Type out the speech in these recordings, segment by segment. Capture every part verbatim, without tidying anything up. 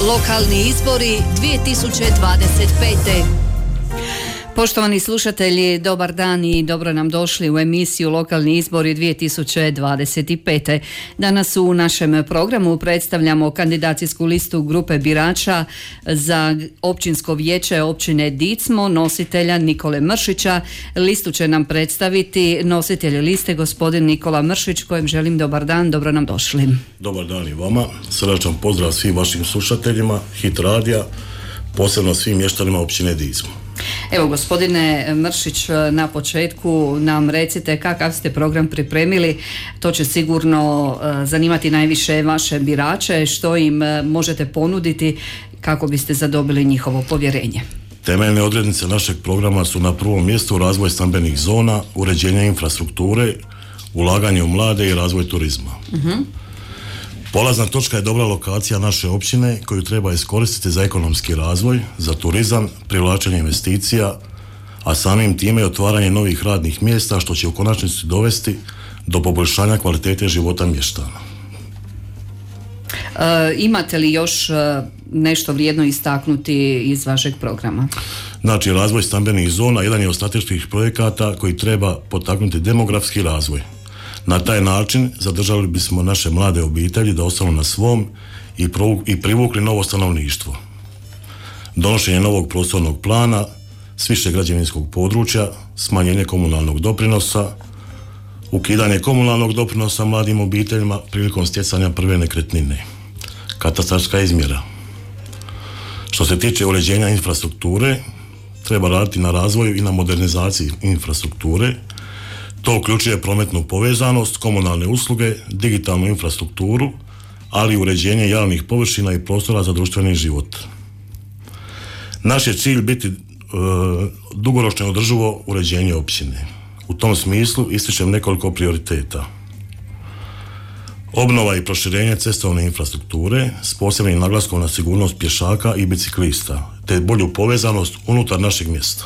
Lokalni izbori dvije tisuće dvadeset pete. Poštovani slušatelji, dobar dan i dobro nam došli u emisiju Lokalni izbori dvije tisuće dvadeset pete. Danas u našem programu predstavljamo kandidacijsku listu grupe birača za općinsko vijeće općine Dicmo, nositelja Nikole Mršića. Listu će nam predstaviti nositelj liste gospodin Nikola Mršić, kojem želim dobar dan, dobro nam došli. Dobar dan i vama, srdačan pozdrav svim vašim slušateljima Hit radija, posebno svim mještanima općine Dicmo. Evo, gospodine Mršić, na početku nam recite kakav ste program pripremili. To će sigurno zanimati najviše vaše birače. Što im možete ponuditi kako biste zadobili njihovo povjerenje? Temeljne odrednice našeg programa su na prvom mjestu razvoj stambenih zona, uređenje infrastrukture, ulaganje u mlade i razvoj turizma. Uh-huh. Polazna točka je dobra lokacija naše općine koju treba iskoristiti za ekonomski razvoj, za turizam, privlačenje investicija, a samim time i otvaranje novih radnih mjesta što će u konačnici dovesti do poboljšanja kvalitete života mještana. E, imate li još nešto vrijedno istaknuti iz vašeg programa? Znači, razvoj stambenih zona jedan je od strateških projekata koji treba potaknuti demografski razvoj. Na taj način zadržali bismo naše mlade obitelji da ostanu na svom i, provu, i privukli novo stanovništvo. Donošenje novog prostornog plana s više građevinskog područja, smanjenje komunalnog doprinosa, ukidanje komunalnog doprinosa mladim obiteljima prilikom stjecanja prve nekretnine, katastarska izmjera. Što se tiče uređenja infrastrukture, treba raditi na razvoju i na modernizaciji infrastrukture. To uključuje prometnu povezanost, komunalne usluge, digitalnu infrastrukturu, ali i uređenje javnih površina i prostora za društveni život. Naš je cilj biti e, dugoročno održivo uređenje općine. U tom smislu ističem nekoliko prioriteta. Obnova i proširenje cestovne infrastrukture s posebnim naglaskom na sigurnost pješaka i biciklista, te bolju povezanost unutar našeg mjesta.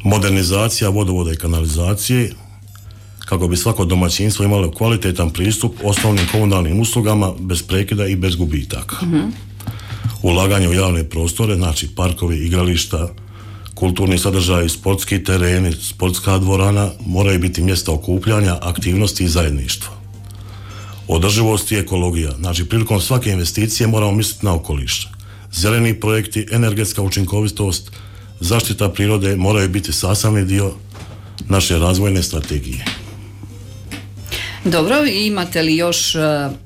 Modernizacija vodovoda i kanalizacije kako bi svako domaćinstvo imalo kvalitetan pristup osnovnim komunalnim uslugama bez prekida i bez gubitaka. Mm-hmm. Ulaganje u javne prostore, znači parkovi, igrališta, kulturni sadržaji, sportski tereni, sportska dvorana moraju biti mjesta okupljanja, aktivnosti i zajedništva. Održivost i ekologija, znači prilikom svake investicije moramo misliti na okoliš. Zeleni projekti, energetska učinkovitost, zaštita prirode moraju biti sastavni dio naše razvojne strategije. Dobro, imate li još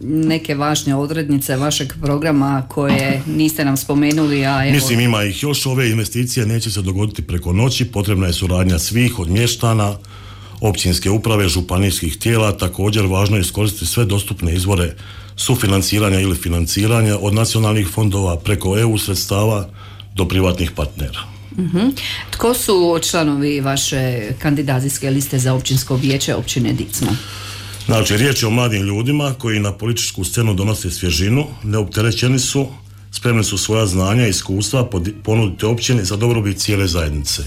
neke važne odrednice vašeg programa koje niste nam spomenuli? A evo... Mislim, ima ih još. Ove investicije neće se dogoditi preko noći, potrebna je suradnja svih od mještana, općinske uprave, županijskih tijela. Također važno je iskoristiti sve dostupne izvore sufinanciranja ili financiranja od nacionalnih fondova preko E U sredstava do privatnih partnera. Uh-huh. Tko su članovi vaše kandidacijske liste za općinsko vijeće općine Dicmo? Znači, riječ je o mladim ljudima koji na političku scenu donose svježinu, neopterećeni su, spremni su svoja znanja i iskustva ponuditi općini za dobrobit cijele zajednice.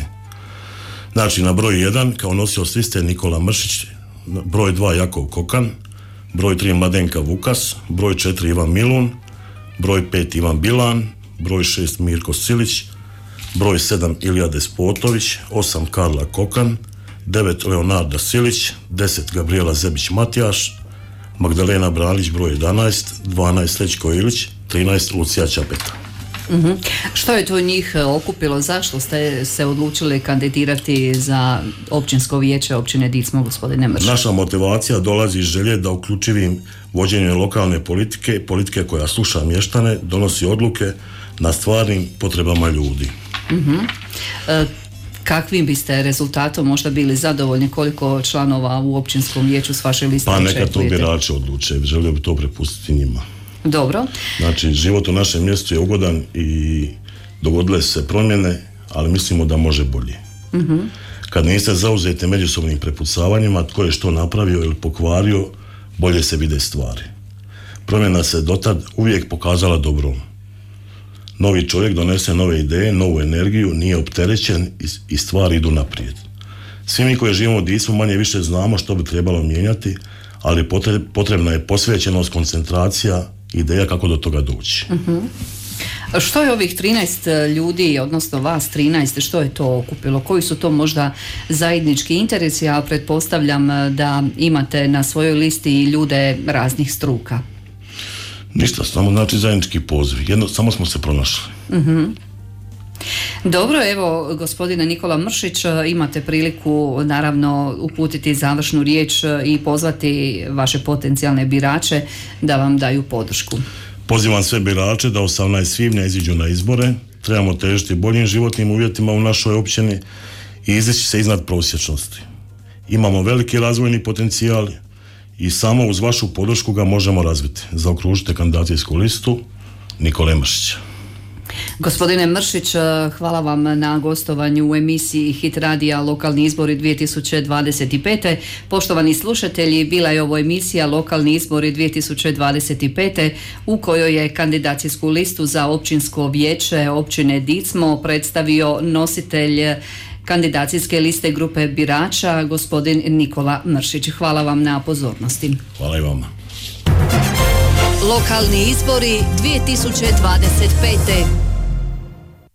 Znači, na broj jedan kao nosioc liste Nikola Mršić, broj dva Jakov Kokan, broj tri Mladenka Vukas, broj četiri Ivan Milun, broj pet Ivan Bilan, broj šest Mirko Silić, broj sedam Ilija Despotović, osam Karla Kokan, devet Leonarda Silić, deset Gabriela Zebić-Matijaš, Magdalena Bralić broj jedanaest, dvanaest Srećko Ilić, trinaest Lucija Čapeta. Uh-huh. Što je to njih okupilo? Zašto ste se odlučili kandidirati za općinsko vijeće općine Dicmo, gospodine Mršić? Naša motivacija dolazi iz želje da uključivim vođenje lokalne politike, politike koja sluša mještane, donosi odluke na stvarnim potrebama ljudi. Uh-huh. E, kakvim biste rezultatom možda bili zadovoljni, koliko članova u općinskom vijeću s vaše liste očekujete? Pa neka to birači odluče, želio bi to prepustiti njima. Dobro. Znači, život u našem mjestu je ugodan i dogodile se promjene, ali mislimo da može bolje. Uh-huh. Kad niste zauzeti međusobnim prepucavanjima tko je što napravio ili pokvario, bolje se vide stvari. Promjena se dotad uvijek pokazala dobrom. Novi čovjek donese nove ideje, novu energiju, nije opterećen i stvari idu naprijed. Svi mi koji živimo u Dicmu manje više znamo što bi trebalo mijenjati, ali potrebna je posvećenost, koncentracija ideja kako do toga doći. Uh-huh. Što je ovih trinaest ljudi, odnosno vas trinaest, što je to okupilo? Koji su to možda zajednički interesi? Ja pretpostavljam da imate na svojoj listi ljude raznih struka. Ništa, samo znači zajednički poziv. Jedno, samo smo se pronašli. Uh-huh. Dobro, evo gospodine Nikola Mršić, imate priliku naravno uputiti završnu riječ i pozvati vaše potencijalne birače da vam daju podršku. Pozivam sve birače da osamnaestog svibnja iziđu na izbore. Trebamo težiti boljim životnim uvjetima u našoj općini i izaći se iznad prosječnosti. Imamo veliki razvojni potencijal i samo uz vašu podršku ga možemo razviti. Zaokružite kandidacijsku listu Nikole Mršića. Gospodine Mršić, hvala vam na gostovanju u emisiji Hit radija Lokalni izbori dvije tisuće dvadeset pete. Poštovani slušatelji, bila je ovo emisija Lokalni izbori dvije tisuće dvadeset pete u kojoj je kandidacijsku listu za općinsko vijeće općine Dicmo predstavio nositelj kandidacijske liste grupe birača, gospodin Nikola Mršić. Hvala vam na pozornosti. Hvala i vama. Lokalni izbori dvije tisuće dvadeset pete.